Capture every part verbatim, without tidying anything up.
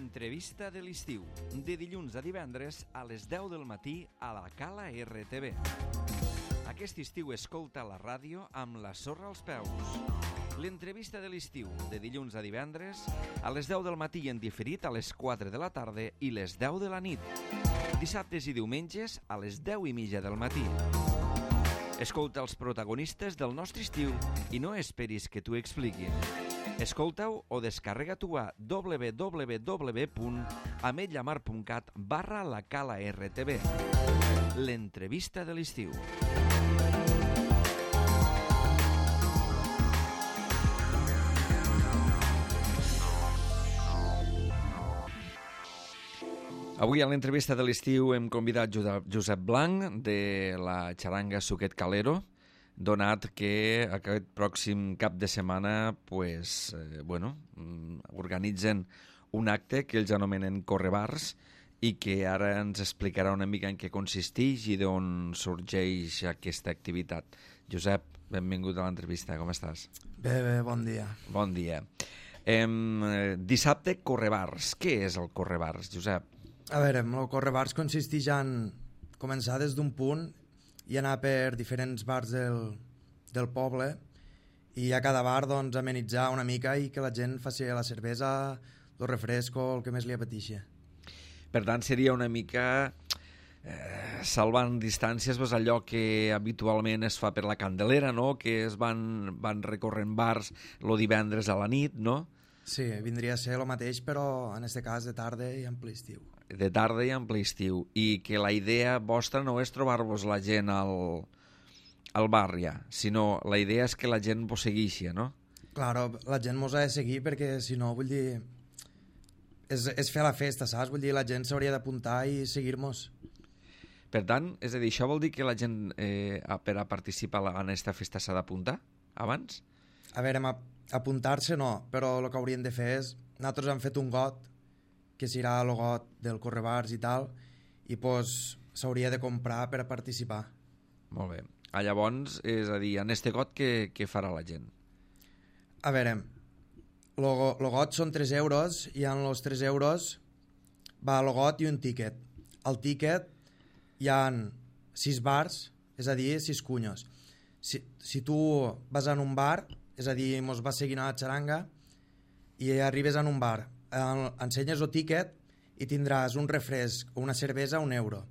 L'entrevista de l'estiu, de dilluns a divendres a les deu del matí a la Cala R T V. Aquest estiu escolta la ràdio amb la sorra als peus. L'entrevista de l'estiu, de dilluns a divendres a les deu del matí en diferit a les quatre de la tarda i les deu de la nit. Dissabtes i diumenges a les deu i mitja del matí. Escolta els protagonistes del nostre estiu i no esperis que t'ho expliquin. Escolta-ho o descarrega-t'ho a w w w punt ametlla mar punt cat barra la Cala R T V. L'entrevista de l'estiu. Avui a l'entrevista de l'estiu hem convidat Josep Blanc de la xaranga Suquet Calero, donat que aquest pròxim cap de setmana pues, eh, bueno, organitzen un acte que ells anomenen Correbars i que ara ens explicarà una mica en què consisteix i d'on sorgeix aquesta activitat. Josep, benvingut a l'entrevista, com estàs? Bé, bé, bon dia. Bon dia. Eh, dissabte, Correbars. Què és el Correbars, Josep? A veure, el Correbars consisteix en començar des d'un punt i anar per diferents bars del, del poble i a cada bar doncs, amenitzar una mica i que la gent faci la cervesa, el refresco, el que més li apeteixi. Per tant, seria una mica eh, salvant distàncies pues, allò que habitualment es fa per la Candelera, no? Que es van, van recorrent bars el divendres a la nit, no? Sí, vindria a ser el mateix, però en aquest cas de tarda i en ple estiu. De tarda i en ple estiu. I que la idea vostra no és trobar-vos la gent al, al bar ja, sinó la idea és que la gent vos segueixi, no? Claro, la gent mos ha de seguir perquè si no, vull dir, és, és fer la festa, saps? Vull dir, la gent s'hauria d'apuntar i seguir-nos. Per tant, és a dir, això vol dir que la gent eh, per a participar en aquesta festa s'ha d'apuntar abans? A veure, apuntar-se no, però el que hauríem de fer és... Nosaltres hem fet un got, que serà el got del Correbars i tal, i doncs s'hauria de comprar per a participar. Molt bé. Ah, llavors, és a dir, en este got què, què farà la gent? A veure, el got són tres euros i en els tres euros va el got i un tíquet. Al tíquet hi ha sis bars, és a dir, sis cunyos. Si, si tu vas en un bar, és a dir, mos vas seguint a la xaranga i arribes en un bar, ensenyes el tíquet i tindràs un refresc o una cervesa a un euro.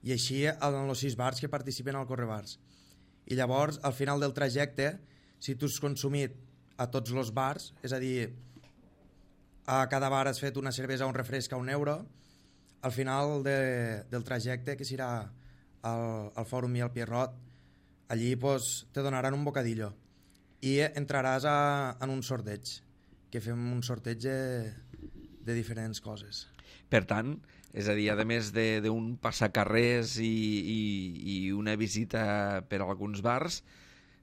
I així en els sis bars que participen al Correbars. I llavors, al final del trajecte, si tu has consumit a tots els bars, és a dir, a cada bar has fet una cervesa o un refresc a un euro, al final de, del trajecte, que serà al, al Fòrum i al Pierrot, allí pues, te donaran un bocadillo i entraràs a, en un sorteig, que fem un sorteig de, de diferents coses. Per tant, és a dir, a més d'un passacarrers i, i, i una visita per a alguns bars,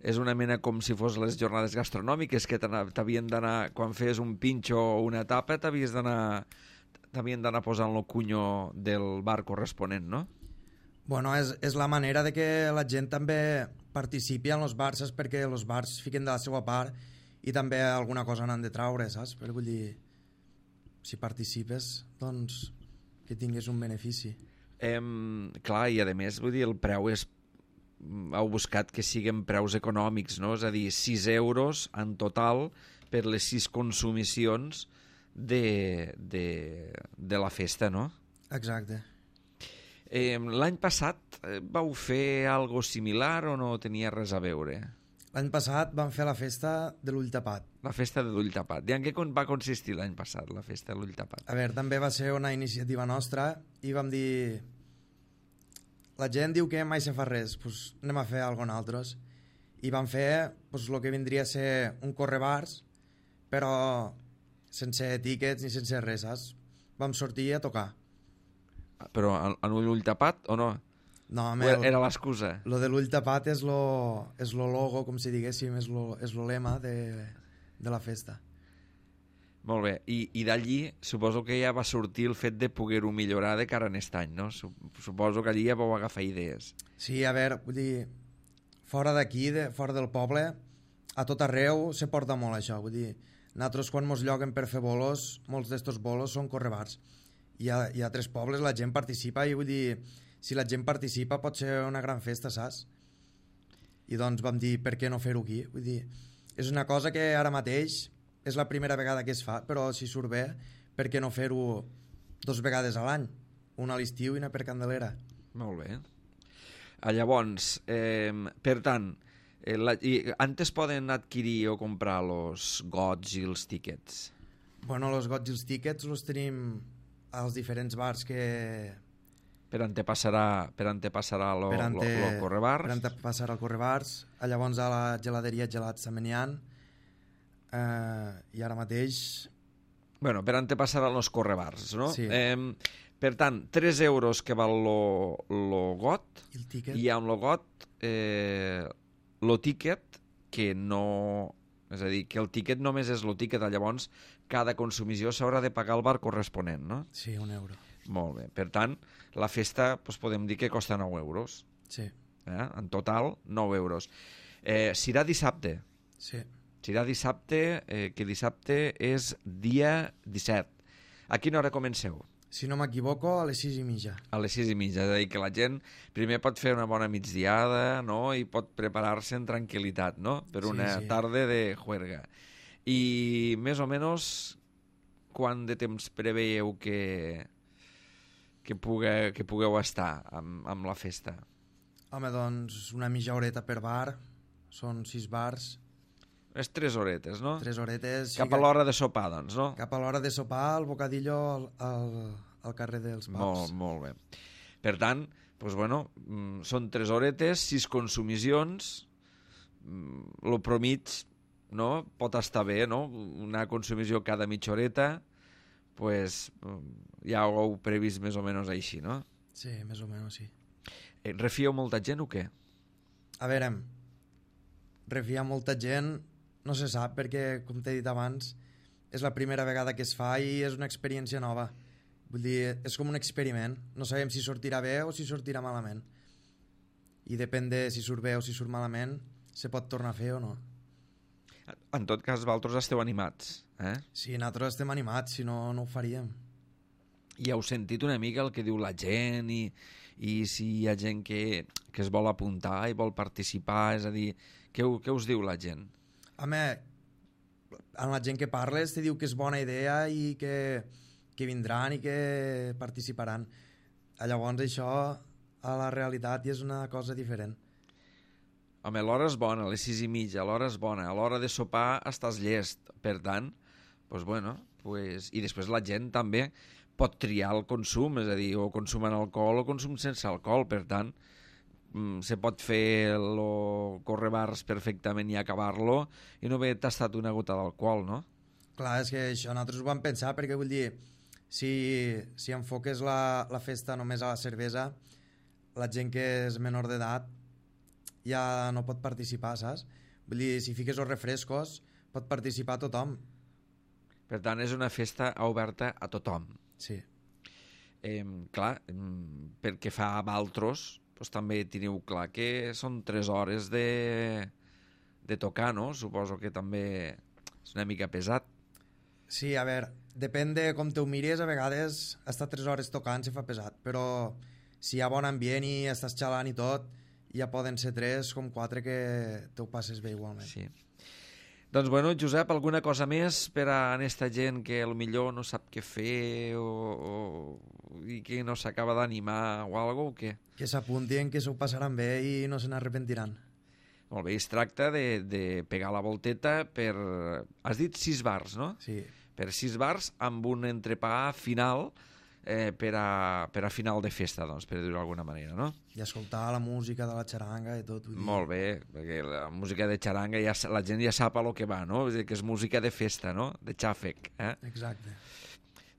és una mena com si fos les jornades gastronòmiques que t'havien d'anar, quan fes un pinxo o una tapa, t'havies d'anar t'havien d'anar posant el cunyo del bar corresponent, no? Bueno, és, és la manera de que la gent també participi en els bars, saps? Perquè els bars fiquen de la seva part i també alguna cosa n'han de traure, saps? Però vull dir, si participes, doncs que tinguis un benefici. Eh, clar, i a més, vull dir, el preu és... Heu buscat que siguin preus econòmics, no? És a dir, sis euros en total per les sis consumicions de, de, de la festa, no? Exacte. Eh, l'any passat eh, vau fer algo similar o no tenia res a veure? L'any passat vam fer la festa de l'ull tapat. La festa de l'ull tapat. I en què va consistir l'any passat, la festa de l'ull tapat? A veure, també va ser una iniciativa nostra i vam dir... La gent diu que mai se fa res, doncs anem a fer alguna cosa altres. I vam fer doncs, el que vindria a ser un correbars, però sense tíquets ni sense res, saps? Vam sortir a tocar. Però en un ull tapat o no? No, home, o era l'excusa? Lo de l'ull tapat és lo, és lo logo, com si diguéssim, és lo, és lo lema de, de la festa. Molt bé, i, i d'allí suposo que ja va sortir el fet de poder-ho millorar de cara a aquest any, no? Suposo que allí ja vau agafar idees. Sí, a veure, vull dir, fora d'aquí, de, fora del poble, a tot arreu se porta molt això, vull dir, Nosaltres quan mos lloguen per fer bolos, molts d'estos bolos són correbars. Hi ha, hi ha tres pobles, la gent participa i vull dir, si la gent participa pot ser una gran festa, saps? I doncs vam dir, per què no fer-ho aquí? Vull dir, és una cosa que ara mateix és la primera vegada que es fa, però si surt bé, per què no fer-ho dos vegades a l'any? Una a l'estiu i una per Candelera. Molt bé. Ah, llavors, eh, per tant, eh, la, i, antes poden adquirir o comprar els gots i els tíquets? Bueno, els gots i els tíquets els tenim als diferents bars que... Per on te passarà, per on te passarà lo, per ante, lo, lo correbars? Per on te passarà el correbars. Llavors a la geladeria Gelats Samenian. Eh, I ara mateix... Bueno, per on te passaran els correbars, no? Sí. Eh, per tant, tres euros que val lo, lo got, I el tíquet? i amb lo got, eh, lo tíquet, que no... És a dir, que el tíquet només és lo tíquet, llavors cada consumició s'haurà de pagar al bar corresponent, no? Sí, un euro. Molt bé. Per tant, la festa doncs, podem dir que costa nou euros. Sí. Eh? En total, nou euros. Eh, serà dissabte. Sí. Serà dissabte, eh, que dissabte és dia disset. A quina hora comenceu? Si no m'equivoco, a les sis i mitja. A les sis i mitja, és a dir, que la gent primer pot fer una bona migdiada, no?, i pot preparar-se en tranquil·litat, no?, per una Sí, sí. tarda de juerga. I més o menys quant de temps preveieu que, que, pugue, que pugueu estar amb, amb la festa? Home, doncs una mitja horeta per bar. Són sis bars. És tres horetes, no? Tres horetes. Cap a l'hora de sopar, doncs, no? Cap a l'hora de sopar, el bocadillo al, al, al carrer dels pubs. Molt, molt bé. Per tant, doncs, bueno, mm, són tres horetes, sis consumicions, mm, lo promig, no?, pot estar bé, no? Una consumició cada mitja horeta, pues, ja ho heu previst més o menys així, no? Sí, més o menys, sí. Eh, refieu molta gent o què? A veure, refiar molta gent no se sap perquè, com t'he dit abans, és la primera vegada que es fa i és una experiència nova. Vull dir, és com un experiment. No sabem si sortirà bé o si sortirà malament. I depèn de si surt bé o si surt malament, se pot tornar a fer o no. En tot cas, vosaltres esteu animats, eh? Sí, nosaltres estem animats, si no, no ho faríem. I heu sentit una mica el que diu la gent i, i si hi ha gent que, que es vol apuntar i vol participar, és a dir, què, què us diu la gent? Home, amb la gent que parles te diu que és bona idea i que, que vindran i que participaran. Llavors això a la realitat ja és una cosa diferent. Home, l'hora és bona, a les sis i mitja, l'hora és bona, a l'hora de sopar estàs llest, per tant, pues bueno, pues... i després la gent també pot triar el consum, és a dir, o consum en alcohol o consum sense alcohol, per tant, se pot fer el correbars perfectament i acabar-lo i no haver tastat una gota d'alcohol, no? Clar, és que això nosaltres ho vam pensar perquè vull dir, si, si enfoques la, la festa només a la cervesa, la gent que és menor d'edat ja no pot participar, saps? Vull dir, si fiques els refrescos pot participar tothom. Per tant, és una festa oberta a tothom. Sí. Eh, clar, pel que fa a altres, doncs també teniu clar que són tres hores de, de tocar, no? Suposo que també és una mica pesat. Sí, a veure, depèn de com te ho mires, a vegades estar tres hores tocant se fa pesat, però si hi ha bon ambient i estàs xalant i tot, ja poden ser tres com quatre que te ho passes bé igualment. Sí. Doncs bueno, Josep, alguna cosa més per a aquesta gent que potser no sap què fer o, o, i que no s'acaba d'animar o alguna cosa, o què? Que s'apuntin, que s'ho passaran bé i no se n'arrepentiran. Molt bé, es tracta de, de pegar la volteta per... Has dit sis bars, no? Sí. Per sis bars amb un entrepà final eh, per, a, per a final de festa, doncs, per dir-ho d'alguna manera, no? I escoltar la música de la xaranga i tot. Vull dir. Molt bé, perquè la música de xaranga ja, la gent ja sap a lo que va, no? És dir, que és música de festa, no? De xàfec, eh? Exacte.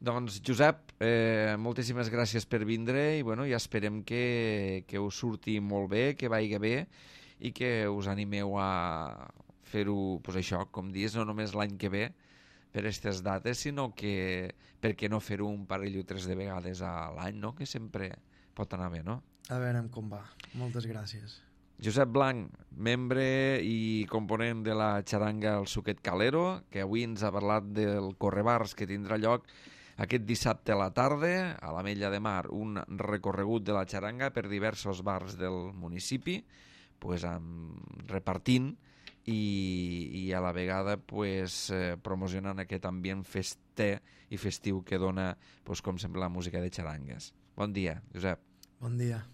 Doncs, Josep, eh, moltíssimes gràcies per vindre i, bueno, ja esperem que, que us surti molt bé, que vagi bé i que us animeu a fer-ho, pues això, com dius, no només l'any que ve per aquestes dates, sinó que per què no fer-ho un parell o tres de vegades a l'any, no? Que sempre pot anar bé, no? A veure com va. Moltes gràcies. Josep Blanc, membre i component de la xaranga El Suquet Calero, que avui ens ha parlat del correbars que tindrà lloc aquest dissabte a la tarda a l'Ametlla de Mar, un recorregut de la xaranga per diversos bars del municipi, pues, amb, repartint i, i a la vegada pues, eh, promocionant aquest ambient fester i festiu que dona, pues, com sempre, la música de xarangues. Bon dia, Josep. Bon dia.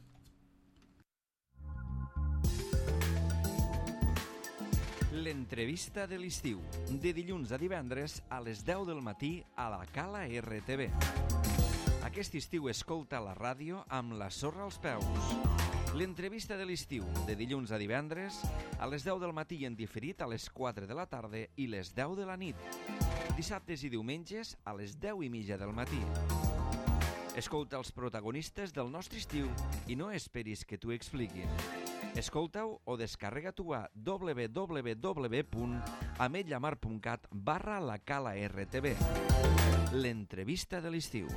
L'entrevista de l'estiu, de dilluns a divendres a les deu del matí a la Cala R T V. Aquest estiu escolta la ràdio amb la sorra als peus. L'entrevista de l'estiu, de dilluns a divendres a les deu del matí i en diferit a les quatre de la tarda i les deu de la nit. Dissabtes i diumenges a les deu i mitja del matí. Escolta els protagonistes del nostre estiu i no esperis que t'ho expliquin. Escolta-ho o descarrega-t'ho a w w w punt ametllamar punt cat barra la Cala R T V. L'entrevista de l'estiu.